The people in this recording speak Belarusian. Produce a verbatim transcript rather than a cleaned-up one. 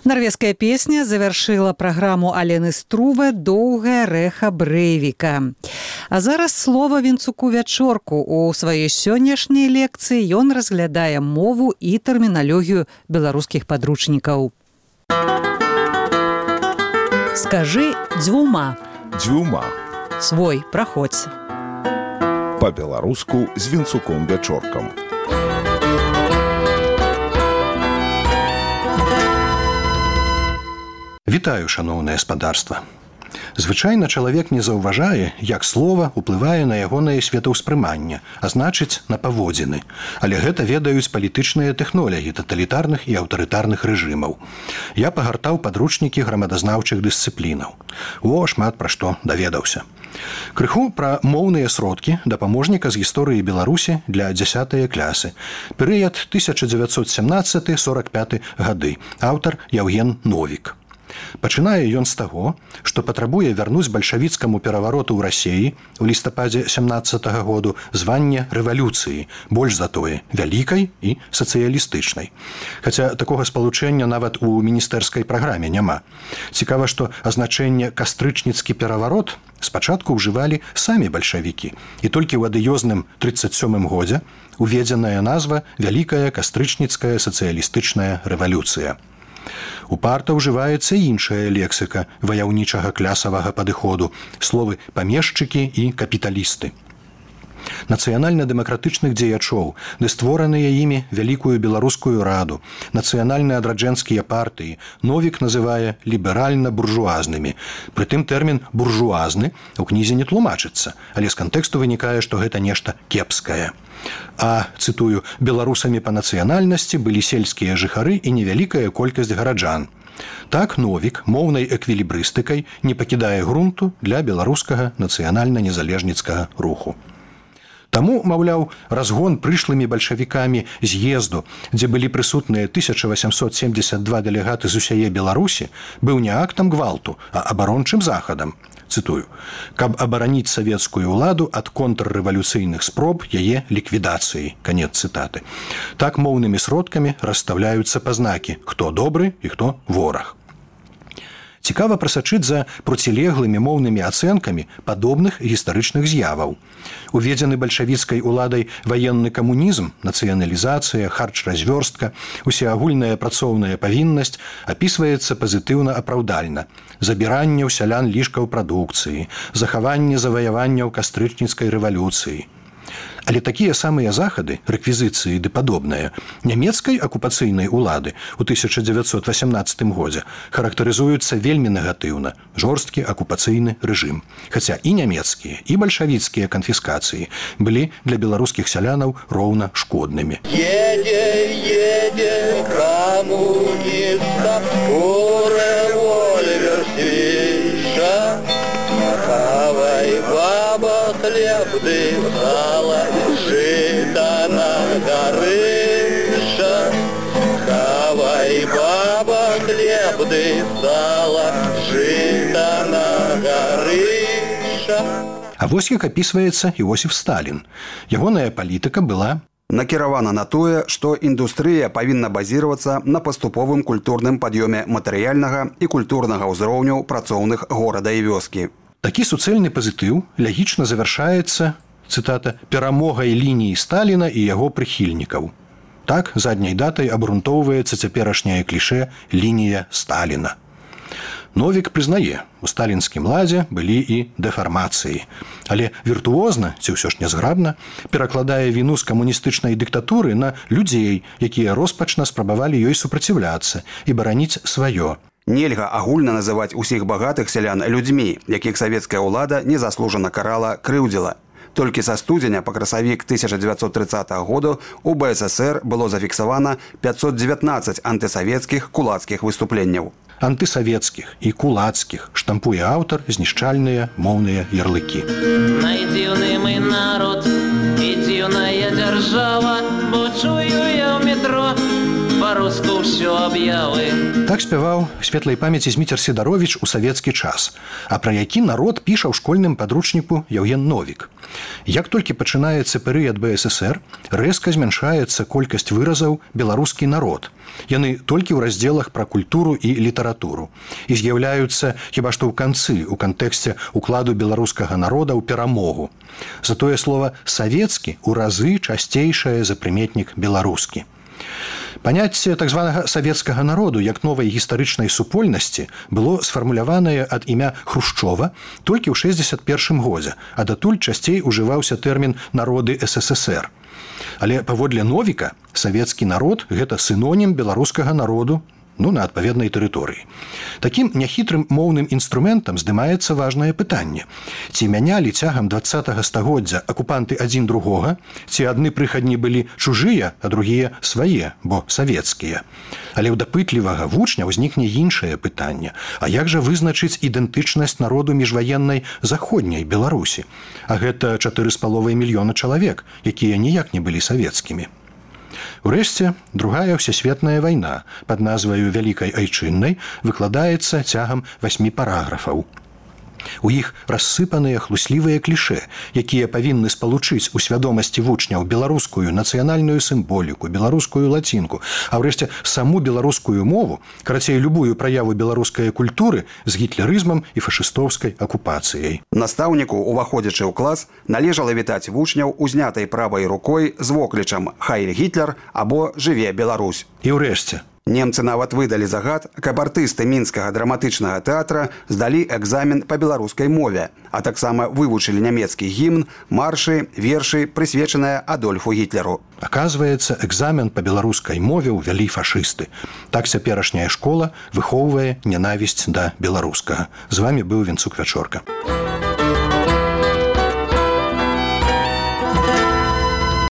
Норвежская песня завершила программу Алены Струве «Доўгае рэха Брэйвіка». А зараз слова Вінцуку Вячорку. У сваёй сённяшняй лекцыі ён разглядае мову і тэрміналогію беларускіх падручнікаў. Скажы дзвюма. Дзвюма. Свой, праходзь. Па-беларуску з Вінцуком Вячоркам. Вітаю, шаноўнае спадарства. Звычайна чалавек не заўважае, як слова ўплывае на ягонае светаўспрыманне, а значыць, на паводзіны. Але гэта ведаюць палітычныя тэхнолагі таталітарных і аўтарытарных рэжымаў. Я пагартаў падручнікі грамадазнаўчых дысцыплінаў. О, шмат пра што даведаўся. Крыху пра моўныя сродкі дапаможніка з гісторыі Беларусі для дзясятай клясы. Перыяд тысяча дзевяцьсот сямнаццаты — сорак пяты гады. Аўтар Яўген Новік. Пачынае ён з таго, што патрабуе вярнуць бальшавіцкаму перавароту ў Расіі ў лістападзе сямнаццатага году званне рэвалюцыі, больш за тое, вялікай і сацыялістычнай. Хаця такога спалучэння нават у міністэрскай праграме няма. Цікава, што азначэнне «кастрычніцкі пераварот» спачатку ўжывалі самі бальшавікі, і толькі ў адыёзным трыццаць сёмым годзе уведзеная назва «Вялікая кастрычніцкая сацыялістычная рэвалюцыя». Упарта ўжываецца іншая лексіка ваяўнічага клясавага падыходу, словы «памешчыкі» і «капіталісты». Нацыянальна-дэмакратычных дзеячоў, ды створаныя імі Вялікую Беларускую раду, нацыянальна-адраджэнскія партыі Новік называе ліберальна-буржуазнымі. Прытым тэрмін «буржуазны» у кнізе не тлумачыцца, але з кантэксту вынікае, што гэта нешта кепскае. А, цытую, беларусамі па нацыянальнасці былі сельскія жыхары і невялікая колькасць гараджан. Так Новік моўнай эквілібрыстыкай не пакідае грунту для беларускага нацыянальна-незалежніцкага руху. Таму, маўляў, разгон прышлымі бальшавікамі з'езду, дзе былі прысутныя тысяча васямсот семдзесят два дэлегаты з усяе Беларусі, быў не актам гвалту, а абарончым захадам. Цытую, каб абараніць савецкую ўладу ад контррэвалюцыйных спроб яе ліквідацыі. Канец цытаты. Так моўнымі сродкамі расстаўляюцца пазнакі, хто добры і хто вораг. Цікава прасачыць за процілеглымі моўнымі ацэнкамі падобных гістарычных з'яваў. Уведзены бальшавіцкай уладай ваенны камунізм, нацыяналізацыя, харч-развёрстка, усеагульная працоўная павіннасць апісваецца пазітыўна-апраўдальна. Забіранне ў сялян лішкаў прадукцыі, захаванне заваяванняў кастрычніцкай рэвалюцыі. Але такія самыя захады, рэквізіцыі ды падобныя, нямецкай акупацыйнай улады ў тысяча дзевяцьсот васямнаццатым годзе характарызуюцца вельмі негатыўна, жорсткі акупацыйны рэжым. Хаця і нямецкія, і бальшавіцкія канфіскацыі былі для беларускіх сялянаў роўна шкоднымі. Едзе, едзе камуніста, у рэвольвер свіша, хавай баба хлеб ды сала, жыта на гарыша. Хавай баба хлеб ды сала, жыта на гарыша. А вось як апісваецца Іосіф Сталін. Ягоная палітыка была накіравана на тое, што індустрыя павінна базіравацца на паступовым культурным пад'ёме матэрыяльнага і культурнага ўзроўню працоўных горада і вёскі. Такі суцэльны пазітыў лягічна завяршаецца, цытата, перамогай лініі Сталіна і яго прыхільнікаў. Так, задняй датай абрунтоўваецца цяперашняе клішэ «лінія Сталіна». Новік прызнае, у сталінскім ладзе былі і дэфармацыі. Але віртуозна, ці ўсё ж нязграбна, перакладае віну з камуністычнай дыктатуры на людзей, якія роспачна спрабавалі ёй супраціўляцца і бараніць сваё. Нельга агульна называць усіх багатых сялян людзьмі, якіх савецкая ўлада незаслужана карала, крыўдзіла. Толькі са студзеня па красавік тысяча дзевяцьсот трыццатага году у бэ эс эсэр было зафіксавана пятьсот девятнадцать антысавецкіх кулацкіх выступленняў. Антысавецкіх і кулацкіх штампуе аўтар знішчальныя моўныя ярлыкі. Найдзіўны мы народ і дзіўная дзяржава, бо чую я ў метро беларуску ўсё аб'явы. Так спяваў светлай памяці Зміцер Сідаровіч у савецкі час, а пра які народ піша ў школьным падручніку Яўген Новік. Як толькі пачынаецца перыяд бэ эс эсэр, рэзка змяншаецца колькасць выразаў «беларускі народ». Яны толькі ў раздзелах пра культуру і літаратуру. І з'яўляюцца хіба што ў канцы, у кантэксце укладу беларускага народа ў перамогу. Затое слова «савецкі» у разы часцейшае за прыметнік «беларускі». Паняцце так званага савецкага народу як новай гістарычнай супольнасці было сфармуляванае ад імя Хрушчова толькі ў шэсцьдзесят першым годзе, а датуль часцей ужываўся тэрмін «народы эс эс эс эр». Але паводле Новіка савецкі народ – гэта сінонім беларускага народу, ну, на адпаведнай тэрыторыі. Такім няхітрым моўным інструментам здымаецца важнае пытанне. Ці мянялі цягам дваццатага стагоддзя акупанты адзін другога, ці адны прыхадні былі чужыя, а другія свае, бо савецкія. Але ў дапытлівага вучня ўзнікне іншае пытанне. А як жа вызначыць ідэнтычнасць народу міжваеннай заходняй Беларусі? А гэта чатыры з паловай мільёна чалавек, якія ніяк не былі савецкімі. Урэшце, другая ўсесветная вайна пад назваю «Вялікай айчыннай» выкладаецца цягам васьмі параграфаў. У іх рассыпаныя хлуслівыя клішэ, якія павінны спалучыць у свядомасці вучняў беларускую нацыянальную сімволіку, беларускую лацінку, а ўрэшце саму беларускую мову, карацей, любую праяву беларускай культуры з гітлерызмам і фашыстоўскай акупацыяй. Настаўніку, уваходзячы ў клас, належала вітаць вучняў узнятай правай рукой з воклічам «Хайль Гітлер» або «Жыве Беларусь». І ўрэшце, немцы нават выдалі загад, каб артысты мінскага драматычнага тэатра здалі экзамен па беларускай мове, а таксама вывучылі нямецкі гімн, маршы, вершы, прысвечаныя Адольфу Гітлеру. Аказваецца, экзамен па беларускай мове ўвялі фашысты. Так цяперашняя школа выхоўвае нянавісць да беларускага. З вамі быў Вінцук Вячорка.